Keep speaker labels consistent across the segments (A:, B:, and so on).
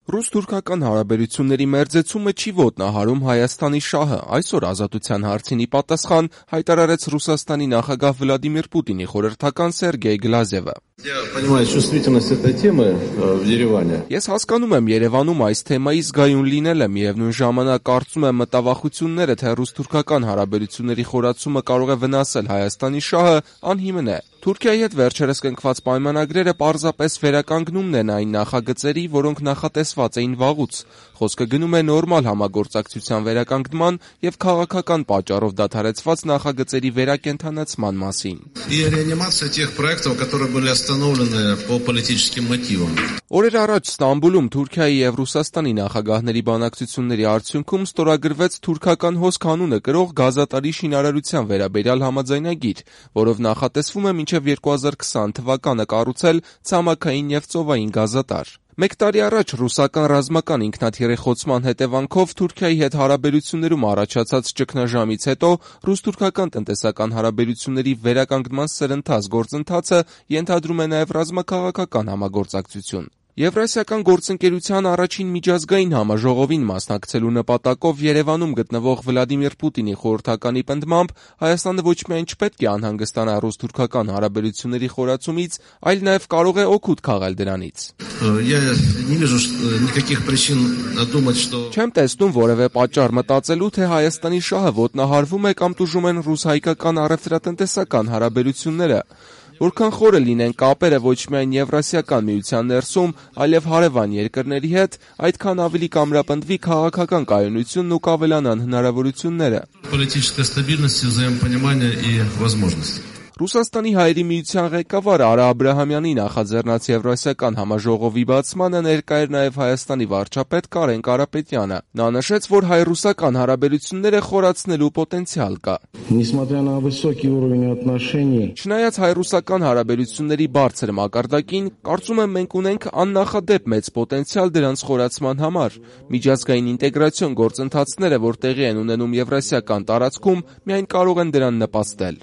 A: Ռուս-թուրքական հարաբերությունների մերձեցումը չի ոտնահարում Հայաստանի շահը, այսօր Ազատության հարցին ի պատասխան հայտարարեց Ռուսաստանի նախագահ Վլադիմիր Պուտինի խորհրդական Սերգեյ Գլազևը. Ես հասկանում եմ Երևանում այս թեմայի զգայուն լինելը, միևնույն ժամանակ կարծում եմ մտավախությունները, թե ռուս-թուրքական հարաբերությունների խորացումը կարող է վնասել Հայաստանի շահը, անհիմն է. Թուրքիայի հետ վերջերս կնքված պայմանագրերը պարզապես վերականգնումն են այն նախագծերի, որոնք նախատեսված էին վաղուց. Խոսքը գնում է նորմալ համագործակցության վերականգնման և քաղաքական պատճառով դադարեցված նախագծերի վերակենդանացման մասին. Օրեր առաջ Ստամբուլում Թուրքիայի և Ռուսաստանի նախագահների բանակցությունների արդյունքում ստորագրվեց թուրքական հոսք անունը կրող գազատարի շինարարության վերաբերյալ համաձայնագիր, որով նախատեսվում է մինչև 2020 թվականը կառուցել ցամաքային և ծովային գազատար. Մեկ տարի առաջ ռուսական ռազմական ինքնաթիռի խոցման հետևանքով Թուրքիայի հետ հարաբերություններում առաջացած ճգնաժամից հետո ռուս-թուրքական տնտեսական հարաբերությունների վերականգնման սրընթաց գործընթացը ենթադրում է նաև ռազմաքաղաքական համագործակցություն. Եվրասիական գործընկերության առաջին միջազգային համաժողովին մասնակցելու նպատակով Երևանում գտնվող Վլադիմիր Պուտինի խորհրդականի պնդմամբ Հայաստանը ոչ միայն չպետք է անհանգստանա ռուս-թուրքական հարաբերությունների խորացումից, այլ նաև կարող է օգուտ քաղել դրանից. Չեմ տեսնում որևէ պատճառ մտածելու, թե Հայաստանի շահը ոտնահարվում է կամ տուժում են ռուս-հայկական առևտրատնտեսական հարաբերությունները. Որքան խորը լինեն կապերը ոչ միայն Եվրասիական միության ներսում, այլև հարևան երկրների հետ, այդքան ավելի կամրապնդվի քաղաքական կայունությունն ու կավելանան հնարավորությունները. Ռուսաստանի Հայերի միության ղեկավար Արա Աբրահամյանի նախաձեռնած Եվրասիական համաժողովի բացմանը ներկա էր նաև Հայաստանի վարչապետ Կարեն Կարապետյանը. Նա նշեց, որ հայ-ռուսական հարաբերությունները խորացնելու պոտենցիալ կա. Չնայած հայ-ռուսական հարաբերությունների բարձր մակարդակին, կարծում եմ մենք ունենք աննախադեպ մեծ պոտենցիալ դրանց խորացման համար. Միջազգային ինտեգրացիոն գործընթացները, որ տեղի են ունենում եվրասիական տարածքում, միայն կարող են դրան նպաստել.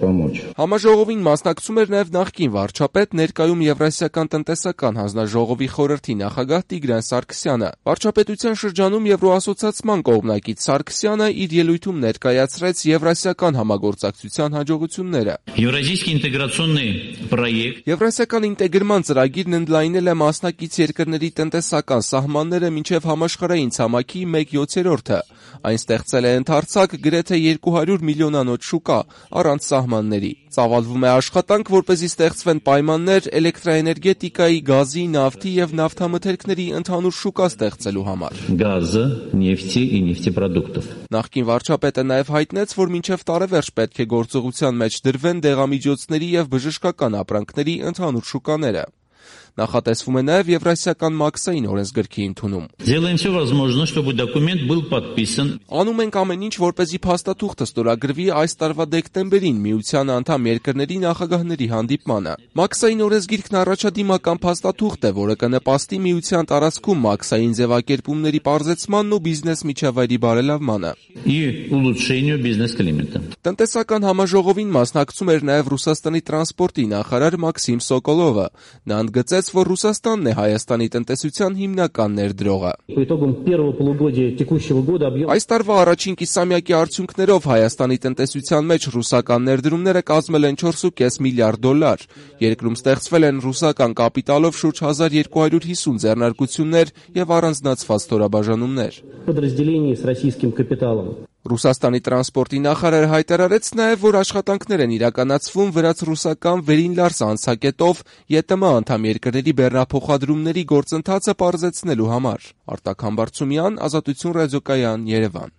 A: Համաժողովին մասնակցում էր նաև նախկին վարչապետ, ներկայում Եվրասիական տնտեսական հանձնաժողովի խորհրդի նախագահ Տիգրան Սարգսյանը. Վարչապետության շրջանում Եվրոասոցիացման կողմնակից Սարգսյանը իր ելույթում ներկայացրեց եվրասիական համագործակցության հաջողությունները. Եվրասիական ինտեգրման ծրագիրն ընդլայնել է մասնակից երկրների տնտեսական սահմանները մինչև համաշխարհային ցամաքի 1/7. Այն ստեղծել է ընդարձակ գրեթե 200 միլիոնանոց շուկա, առանց սահմանների. Ծավալվում է աշխատանք, որպեսզի ստեղծվեն պայմաններ էլեկտրաէներգետիկայի, գազի, նավթի և նավթամթերքների ընդհանուր շուկա ստեղծելու համար. Նախկին վարչապետը նաև հայտնեց, որ մինչև տարեվերջ պետք է գործողության մեջ դրվեն դեղամիջոցների և բժշկական ապրանքների ընդհանուր շուկաները. Նախատեսվում է նաև Եվրասիական մաքսային օրենսգրքի ընդունում. Անում ենք ամեն ինչ, որպեսզի փաստաթուղթը ստորագրվի այս տարվա դեկտեմբերին միության անդամ երկրների նախագահների հանդիպմանը. Մաքսային օրենսգիրքն առաջադիմական փաստաթուղթ է, որը կնպաստի միության տարածքում մաքսային ձևակերպումների պարզեցմանն ու բիզնես միջավայրի բարելավմանը. Տնտեսական համաժողովին մասնակցում էր նաև Ռուսաստանի տրանսպորտի նախարար Մաքսիմ Սոկոլովը. Նա ընդգծեց, որ Ռուսաստանն է Հայաստանի տնտեսության հիմնական ներդրողը. Այս տարվա առաջին կիսամյակի արդյունքներով Հայաստանի տնտեսության մեջ ռուսական ներդրումները կազմել են 4.5 միլիարդ դոլար. Երկրում ստեղծվել են ռուսական կապիտալով շուրջ 1250 ձեռնարկություններ և առանձնացված ստորաբաժանումներ. Ռուսաստանի տրանսպորտի նախարարը հայտարարեց նաև, որ աշխատանքներ են իրականացվում վրաց-ռուսական Վերին-Լարս անցակետով ԵՏՄ անդամ երկրների բեռնափոխադրումների գործընթացը պարզեցնելու համար. Արտակ Համբարձումյան, Ազատություն ռադիոկայան, Երևան.